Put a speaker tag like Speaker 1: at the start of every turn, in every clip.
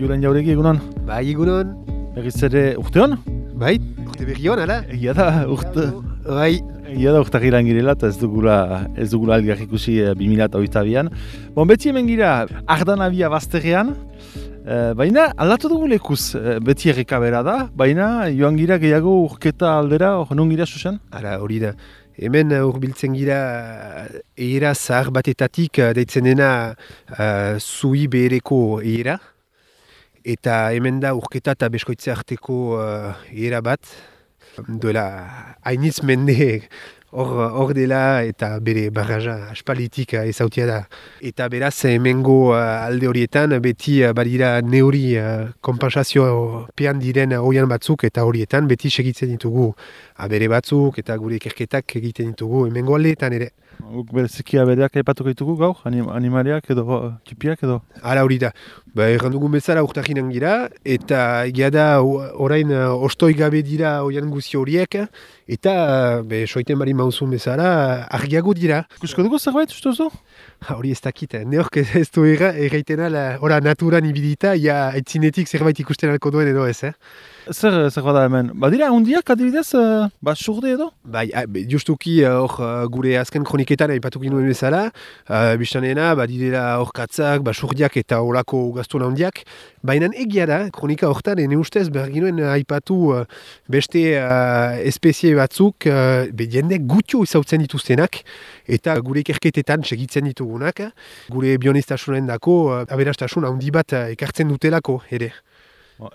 Speaker 1: Julen Jauregi, egunon?
Speaker 2: Bai, egunon.
Speaker 1: Berriz ere urteon?
Speaker 2: Bai, urte berri hon, ala?
Speaker 1: Egia da,
Speaker 2: Bai.
Speaker 1: Egia da urtagiran girela eta ez dugula aldiak ikusi 2022an. Bon, beti hemen gira Ardanabia bazterrean, baina aldatu dugu lekuz, beti errekabera da, baina joan gira gehiago urketa aldera, non gira susen?
Speaker 2: Ara, hori da. Hemen urbiltzen gira eira zahar batetatik deitzen dena zui behereko eira. Eta hemen da urketa eta beskoitze arteko eira bat. Duela hainitz mende hor dela eta bere barraja aspalitik ezautia da. Eta beraz hemengo alde horietan beti badira neuri konpansazio pean diren oian batzuk eta horietan beti segitzen ditugu abere batzuk eta gure ikerketak egiten ditugu hemengo aldeetan ere.
Speaker 1: Guk bereziki abereak aipatuko ditugu gaur, animaliak edo txipiak edo?
Speaker 2: Hala hori da. Errandugun bezala urtaginan gira, eta egia da orain ostoi gabe dira oian guzi horiek, eta soiten bari mauzun bezala argiago dira.
Speaker 1: Ikusko dugu zerbait, uste duzu?
Speaker 2: Hori ez dakit, neork ez du erraiten ala naturan ibilita, ia etzinetik zerbait ikusten alko duen edo ez,
Speaker 1: Zer bada hemen? Badira, hundiak adibidez, surde edo?
Speaker 2: Bai, justuki hor gure azken kroniketan aipatu ginuen bezala, biztanena, badirela hor katzak, surdiak eta horako gaztuna hundiak, baina egia da, kronika hortan, ene ustez, behar ginuen aipatu beste espezie batzuk, jende gutxo izautzen dituztenak, eta gure ikerketetan segitzen ditugunak, gure bionistasunen dako, aberastasun handi bat ekartzen dutelako ere.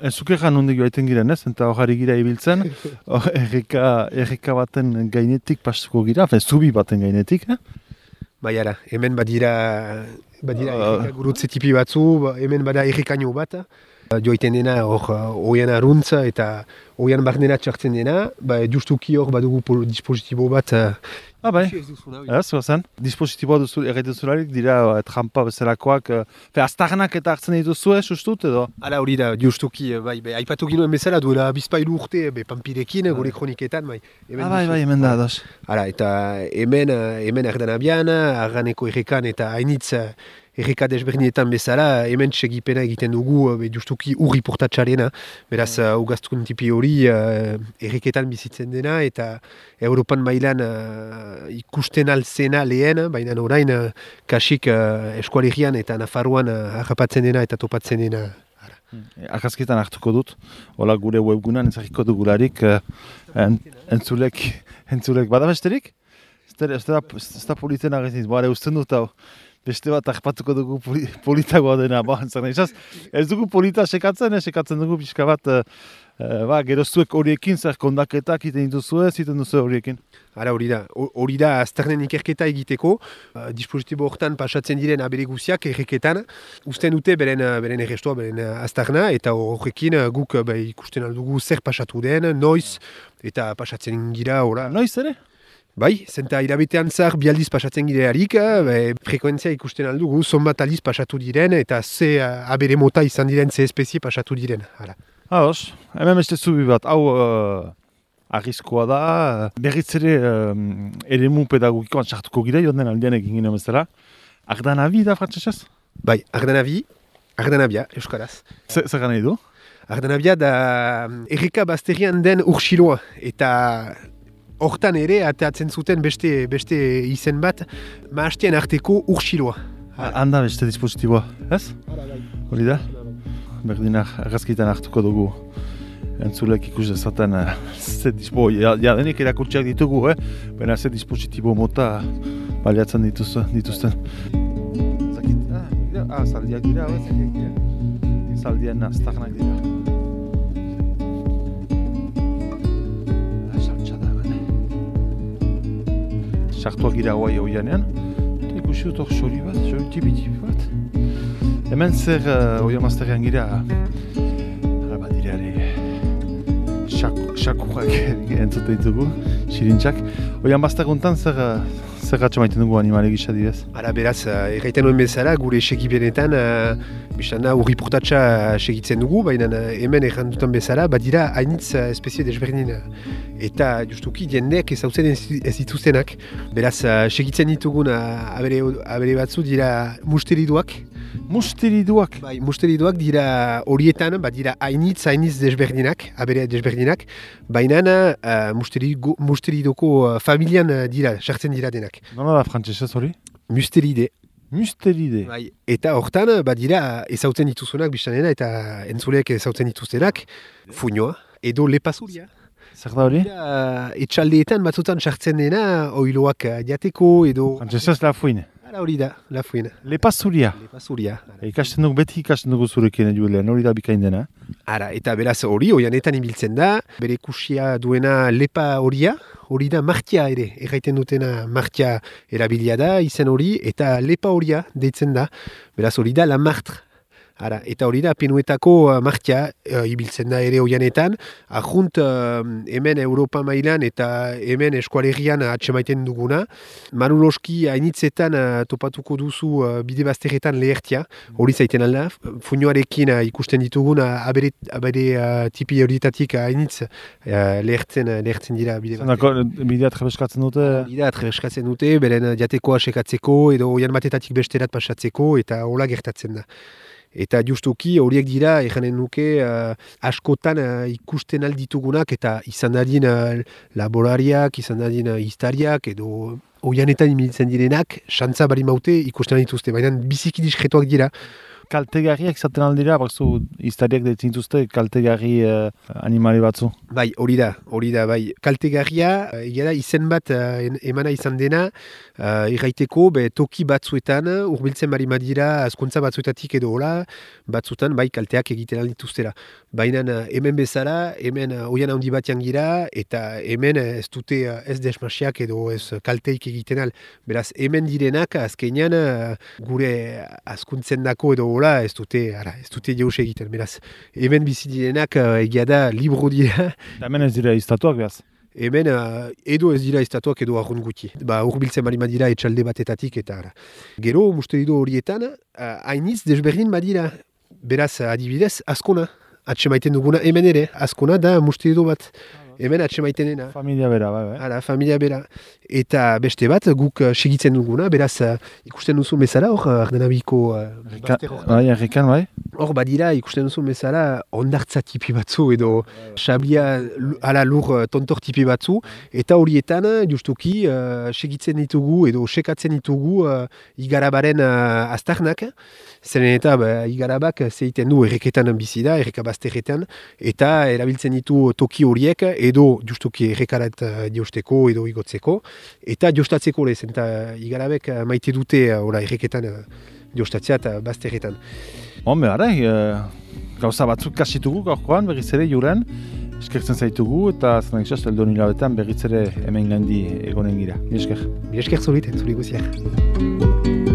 Speaker 1: Enzukeran hundik joaiten giren ez, eta hori gira ibiltzen, erreka baten gainetik pastuko gira, zubi baten gainetik,
Speaker 2: Bai ara, hemen badira erreka gurutze tipi batzu, hemen bada errekaino bat, joaiten dena hor oian aruntza eta oian barnera txartzen dena, justuki hor badugu dispositibo bat.
Speaker 1: Bai, ez zen. Dispositiboa duzu erraituzularik dira trampa bezalakoak, aztarnak eta hartzen dituzue, sustut edo?
Speaker 2: Hala hori da, justuki, aipatu ginuen bezala duela bizpailu urte, panpirekin, gure kroniketan, bai.
Speaker 1: Bai, hemen da, ados.
Speaker 2: Hala, eta hemen Ardanabian, Arganeko errekan eta hainitz erreka desberdinetan bezala, hemen segipena egiten dugu, justuki urri portatxarena, beraz, ugaztun tipi hori erreketan bizitzen dena, eta Europan mailan ikusten alzena lehen, baina orain kasik eskualerian eta Nafarroan harrapatzen dena eta topatzen dena.
Speaker 1: Argazkietan hartuko dut, hola gure webgunan ezagiko dugularik, entzulek bada besterik? Ez da politen agezniz, usten dut hau. Beste bat arpatuko dugu politagoa dena, ez dugu polita sekatzen dugu pixka bat, geroztuek horiekin, zer kondaketak iten dituzue, ziten duzu horiekin.
Speaker 2: Ara hori da aztarnen ikerketa egiteko, dispositibo hortan pasatzen diren abere guziak erreketan, usten dute beren errestua, beren aztarna, eta horrekin guk ikusten aldugu zer pasatu den, noiz, eta pasatzen gira,
Speaker 1: Noiz ere?
Speaker 2: Bai, zenta irabetean zahar bi aldiz pasatzen girearik, frekuentzia ikusten aldugu, zonbat aldiz pasatu diren, eta ze abere mota izan diren, ze espezie pasatu diren.
Speaker 1: Haos, hemen beste zubi bat, hau arrizkoa da, berriz ere eremu pedagogikoan sartuko gira, joan den aldean egin ginen bezala. Ardanabi da frantzesez?
Speaker 2: Bai, Ardanabia, euskaraz.
Speaker 1: Zer gana edo?
Speaker 2: Ardanabia da erreka bazterian den urxiloa, eta hortan ere, ateatzen zuten beste izen bat, maastien arteko urxiloa.
Speaker 1: Handa beste dispositiboa, ez? Hori da? Berdinak argazkitan hartuko dugu. Entzulek ikus dezaten ze dispositibo, denik erakurtziak ditugu, baina ze dispositibo mota baliatzen dituzten. Zaldiak dira, zaldien aztarnak dira. Sartuak gira guai oianean, eta ikusi dut hor xori tipi bat. Hemen zer oian mazterrean gira, badira ere, xakurrak entzute ditugu, xirintxak. Oian mazterguntan zer zer gatsa maiten dugu animale gisa didez?
Speaker 2: Ara beraz, erraiten nuen bezala, gure segipenetan, biztana urri portatxa segitzen dugu, baina hemen errandutan bezala, badira hainitz espezie desberdin. Eta justuki jendeak ezautzen ez dituztenak. Beraz, segitzen ditugun abere batzu dira musteriduak.
Speaker 1: Musteriduak?
Speaker 2: Bai, musteriduak dira horietan, badira hainitz desberdinak, abere desberdinak, baina musteridoko familian dira, sartzen dira denak.
Speaker 1: Nola da frantzesez hori?
Speaker 2: Musteride.
Speaker 1: Musteride.
Speaker 2: Bai, eta hortan, badira ezautzen dituzunak biztanena eta entzuleak ezautzen dituztenak, fuñoa edo lepazuria.
Speaker 1: Zer da hori?
Speaker 2: Etxaldeetan batzutan sartzen dena, oiloak jateko edo...
Speaker 1: Frantzesez la fuine.
Speaker 2: Hala hori da, la fuine.
Speaker 1: Lepazuria.
Speaker 2: Lepazuria.
Speaker 1: Beti ikasten dugu zurekin Julen, hori da bikain dena.
Speaker 2: Ara, eta beraz hori, oianetan ibiltzen da, bere kusia duena lepa horia, hori da martia ere, erraiten dutena martia erabilia da, izen hori, eta lepa horia deitzen da, beraz hori da la martre. Ara, eta hori da penuetako martia ibiltzen da ere oianetan, ajunt hemen Europa mailan eta hemen eskualerian atsemaiten duguna. Manuloski hainitzetan topatuko duzu bide bazterretan lehertia, hori zaiten alda, fuñoarekin ikusten ditugun abere tipi horietatik hainitz lehertzen dira bide bazterretan.
Speaker 1: Bidea trebeskatzen dute?
Speaker 2: Bidea trebeskatzen dute, beren jatekoa sekatzeko edo oian batetatik besterat pasatzeko eta hola gertatzen da. Eta justuki horiek dira, eganen nuke, askotan ikusten alditugunak eta izan dadin laborariak, izan dadin iztariak edo oianetan imilitzen direnak, xantza bari maute ikusten dituzte, baina biziki diskretoak dira.
Speaker 1: Kaltegarriak izaten aldira, bakzu iztariak deitzen dituzte kaltegarri animali batzu?
Speaker 2: Bai, hori da, bai. Kaltegarria, egera izen bat emana izan dena, erraiteko, toki batzuetan, urbiltzen bari madira, azkuntza batzuetatik edo hola, batzutan, bai, kalteak egiten aldituztera. Baina hemen bezala, hemen oian handi batean gira, eta hemen ez dute ez desmasiak edo ez kalteik egiten al. Beraz, hemen direnak, azkenean, gure azkuntzen dako edo hola, ez dute jauz egiten. Beraz, hemen bizi direnak, egia da, libro dira.
Speaker 1: Hemen ez dira iztatuak behaz?
Speaker 2: Hemen edo ez dira iztatuak edo arrun guti. Urbiltzen bari madira etxalde batetatik eta ara. Gero, musterido horietan, hainitz desberdin badira. Beraz, adibidez, askona. Atsemaiten duguna hemen ere, askona da musterido bat. Hemen atsemaitenena.
Speaker 1: Familia bera, bai.
Speaker 2: Hala, familia bera. Eta beste bat, guk segitzen duguna, beraz, ikusten duzu bezala, hor, Ardenabiko bazter hor.
Speaker 1: Bai, errekan, bai.
Speaker 2: Hor, badira, ikusten duzu bezala, ondartza tipi batzu, edo sablia, lur tontor tipi batzu, eta horietan, justuki, segitzen ditugu, edo sekatzen ditugu, igarabaren aztarnak, zeren eta igarabak zeiten du erreketan bizi da, erreka bazterretan, eta erabiltzen ditu toki horiek, edo justuki errekarat diosteko edo igotzeko, eta jostatzeko lez, eta igarabek maite dute erreketan jostatzea eta bazterretan.
Speaker 1: Hombre, gauza batzuk kasitugu gaurkoan, berriz ere Julen, eskertzen zaitugu, eta zanak izaz, eldon hilabetan berriz ere hemen gandi egonen gira. Mi esker.
Speaker 2: Mi esker zuriten, zuri guziak.